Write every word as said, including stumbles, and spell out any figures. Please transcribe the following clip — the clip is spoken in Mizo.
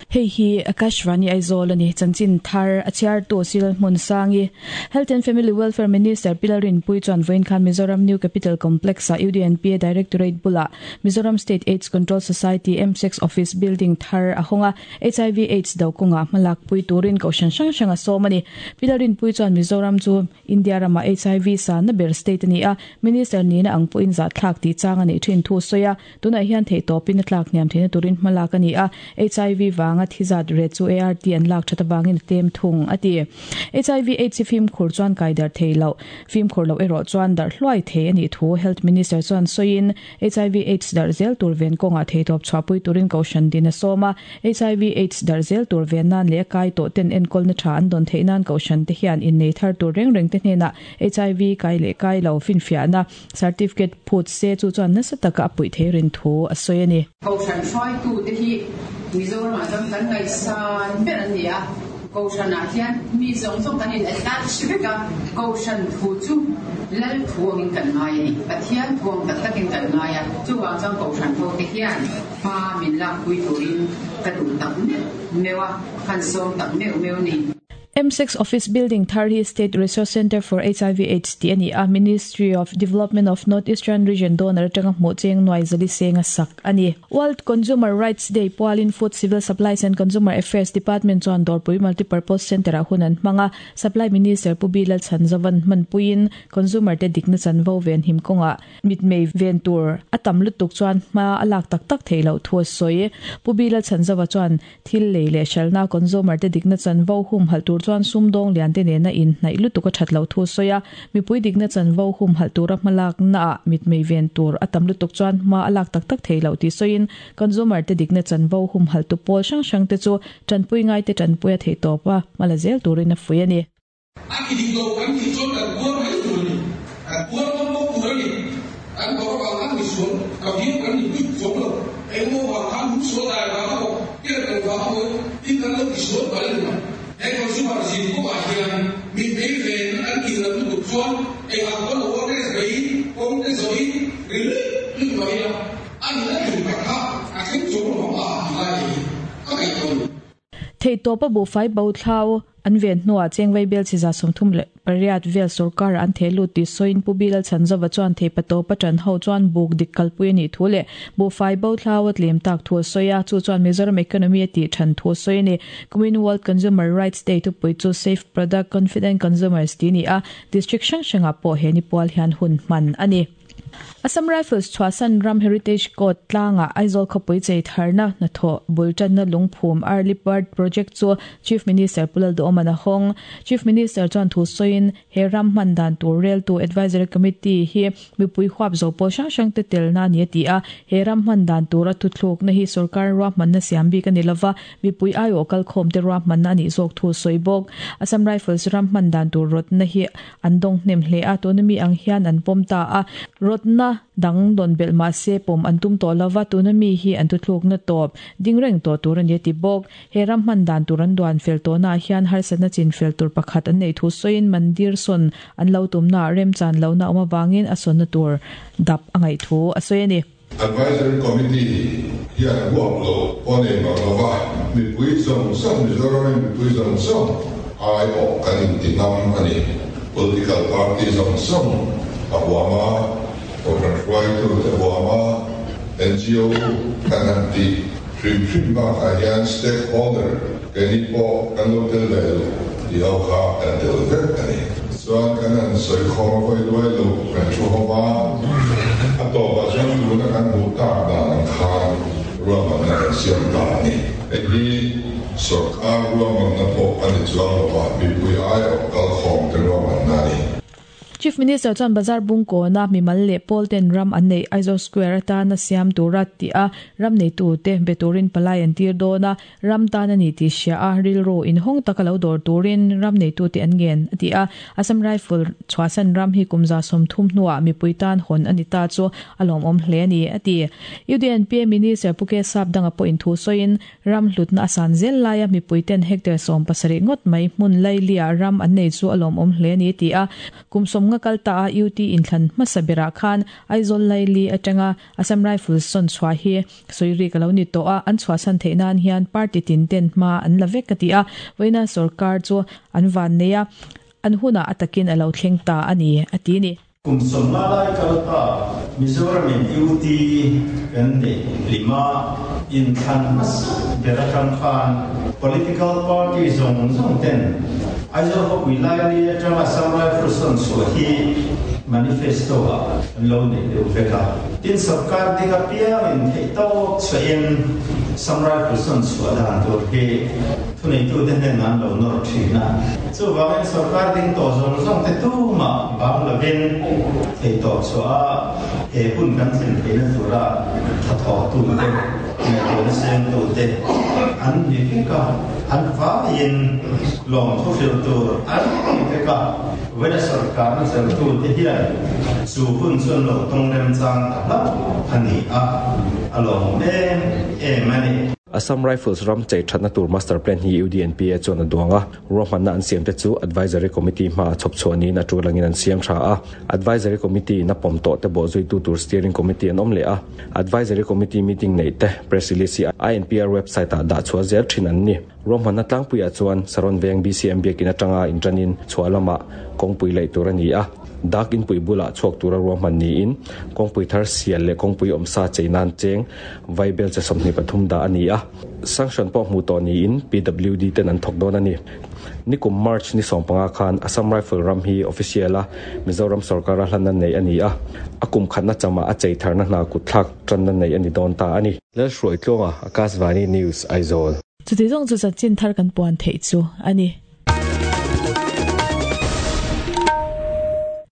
Hei hi Akashvani Aizawl ani chanchin thar achhiar tu sil hmun sangi Health and Family Welfare Minister Pilarin Pui chuan voin khan Mizoram New Capital Complex a U D N P A Directorate bula Mizoram State AIDS Control Society M six Office Building thar a honga H I V AIDS do konga malak pui turin ko shan sang sanga somani Pilarin Pui chuan Mizoram chu India rama H I V sa na ber state ani a Minister ni na ang puin za thlak ti chang ani thin thu soya tuna hian thei topin tlak niam theina turin malak ani a H I V wang thizat re chu A R T an lak thata wangin tem thung ati H I V AIDS film khur chuan kaidar theilo film khur lo ero chuan dar hloi the ani thu Health Minister chuan soin H I V AIDS dar zel tur ven konga theitop chhapui turin koshan din soma H I V AIDS dar zel tur ven nan le kai to ten enkol na tha an don theinan koshan te hian in nei thar tur reng reng te hne H I V kai le kai lo fin fia na certificate phut se chu chuan na sataka pui therin thu asoyani koshan hroi tu te hi Mizoram ah chuan kan ngaihsan ber an ni a kohhran ah hian mi zawng zawng kan in attach vek a kohhran thu chu lal thu angin kan ngai ani Pathian thu ang tak takin kan ngai a chuwang chuan kohhran ho te hian pa min lak pui turin ka duh tak meuh meuh a khan sawm tak meuh meuh ni. M six Office Building Tharhi State Resource Center for H I V AIDS ti ani a Ministry of Development of North Eastern Region donor atanga hmuh cheng nuai zali senga sak ani World Consumer Rights Day pualin Food Civil Supplies and Consumer Affairs Department chuan Dawrpui Multipurpose Center a hunan hmanga Supply Minister Pu Bilal Chanzavan manpuin consumer te dikna chanvo ven him konga mitmei ven tur atam lutuk chuan hma alak tak tak theilo thu soi Pu Bilal Chanzawa chuan thil lei le shalna consumer te dikna chanvo hum hal tur chuan sumdong lian te nena in hnai lutuk a thatlo thu soya mipui dikna chanvo hum hal tura hmalak na mitmei ven tur atam lutuk chuan hma alak tak tak theilo ti soin consumer te dikna chanvo hum hal tu pol sang sang te chu chanpui ngai te chanpui a thei topa malazel turin a fui ani a ki ding lo kan ti chon kan buar mai tur ni kan buar ngam bok tur ani kan bor wa kan mi suan ka vi kan ni pui chom lo eng mo wa kan hu so dai wa ko ke kan wa ko tin kan lo ti suan pa le na he consumer zin ko ba hian mi mei ven an ki lam tu chuan eng ang ko lo ne bei kong te zoi ri li mai la an na tu ka kha a thleng chom lo ma lai ka kai to thei topa bu fai bo thlau an ven hnuah chengwei bel chiza sawmthum leh pariat vel sarkar an thelu ti soin pu Bilal Chanzawa chuan thei pato patan ho chuan buk dik kalpui ani thu le bu fai bo thlawat lem tak thu soya chu chuan Mizoram economy ti than thu soi ni kumin World Consumer Rights Day tu pui chu safe product confident consumers ti ni a district hrang hranga pawh he ni pual hian hun hman ani Assam Rifles Chhuasan Ram Heritage Code tlanga Aizawl khawpui chei tharna na thaw bultan na lungphum Early Bird Project chu Chief Minister Pulal Duhoma hong Chief Minister chuan thu soin he ram hman dan tur rel tu Advisory Committee hi mipui huap zo pawh hrang hrang te tel na ni ti a he ram hman dan tura thuthluk na hi sarkar ruah hman na siam bik ani lova mipui aio kal khawm te ruah hman na ani zawk thu soi bawk Assam Rifles ram hman dan tur rot na hi an dawng hnem hle a tuna mi ang hian an pawm ta a rot na dang don bel ma se pom antum to lova tuna mi hi an tu thluk na top ding reng to tur ani ti bawk he ram hman dan tur an duan fel to na hian harsatna chin fel tur pakhat an nei thu soin mandir son an lo tum na rem chan lo na awm awangin a son na tur dap angai thu a soi ani Advisory Committee hian huap lo pawh nei mang lova mipui zawng zawng Mizoram mipui zawng zawng ai awh kan inti ngam ani political party zawng zawng a huama kohhran hruaitu te huama N G O kan han ti hrim hrim bakah hian stakeholder keini pawh kan lo tel ve lo ti ho kha kan tel vek ani chuan kan han sawi khawm a vawi luai lo kan thu hawma a tawpah chuan tuna kan hmuh tak dan ang khan ruahmanna kan siam ta ani hei hi sarkar ruahmanna pawh ani chuang lova mipui ai awh kal khawm te ruahmanna ani Chief Minister chuan Bazar Bungko na mimal le Paul ten ram an nei Aizawl Square atana siam tura ti a ram nei tu te beturin palai an tir dona ram tan ani ti sia a rilro in hong takalo dor turin ram nei tu te an ngen ti a Assam Rifle chhuasan ram hi kumza som thum hnuah mipuitan hon ani ta chu alom om hle ani ati U D N P Minister Puke Sap danga po in thu soin ram hlutna asan zel laia mipuiten hectare som pasarih ngawt mai hmun lailia ram an nei chu alom om hle ani ti a kum som Kum sawmnga kal ta a U T inthlan hmasa berah khan Aizawl Laili atanga Assam Rifles sawn chhuah hi sawi rik a lo ni tawh a, an chhuahsan theih nan hian party tin ten hma an la vek a ti a, vawiina sorkar chu an van nei a, an hunah a takin a lo thleng ta a ni a ti ni. Kum sawmnga lai kal ta Mizoramin U T kan neih lima inthlan hmasa ber atang khan political party zawng zawng ten Aizawl khawpui laili atanga Assam Rifles sawn chhuah hi manifesto ah an lo nei deuh vek a. Tin sarkar ding apiangin theih tawk chhuahin Assam Rifles sawn chhuah dan tur hi thuneitu te hnen an lo nawr thin a. Chuvangin sarkar ding tawh zawng zawng te tumah bang lovin theih tawk chhuah a he hun kan thlen theihna tura tha thawk tu te ngaihtuahna seng tu te an ni vek a, an vaiin lawm thu hril tur an ni vek a. Vawiina sarkar na zel tu te hian chu hun chuan lo tawng rem chang ta hlauh a ni a, a lawm em em a ni. Assam Rifles ram chei thatna tur master plan hi U D N P A chuan a duang a, ruahmanna an siam te chu advisory committee hma a chhawp chhuah niin a tulangin an siam tha a. Advisory committee in a pawm tawh te bawh zui tu tur steering committee an awm leh a. Advisory committee meeting nei te press release hi I N P R website ah dah chhuah zel thin an ni. Ruahmanna tlangpuiah chuan Saron Veng B C M biakin atanga intanin chhuah lamah kawngpui laih tur a ni a. Dak inpui bulah chhuak tura ruahman niin kawngpui thar sial leh kawngpui awmsa chei nan cheng vaibel che sawmhnih pathum dah a ni a. Sanction pawh hmu tawh niin P W D ten an thawk dawn a ni. Nikum March ni sawmpanga khan Assam Rifle ram hi official a Mizoram sarkar a hlan an nei a ni a. A kum khatna chama a chei tharna hna kut thlak tanna nei a ni dawn ta a ni. Lalhruai Tluanga, Akashvani News, Aizawl. Chuti zawng chu chanchin thar kan puan theih chu a ni.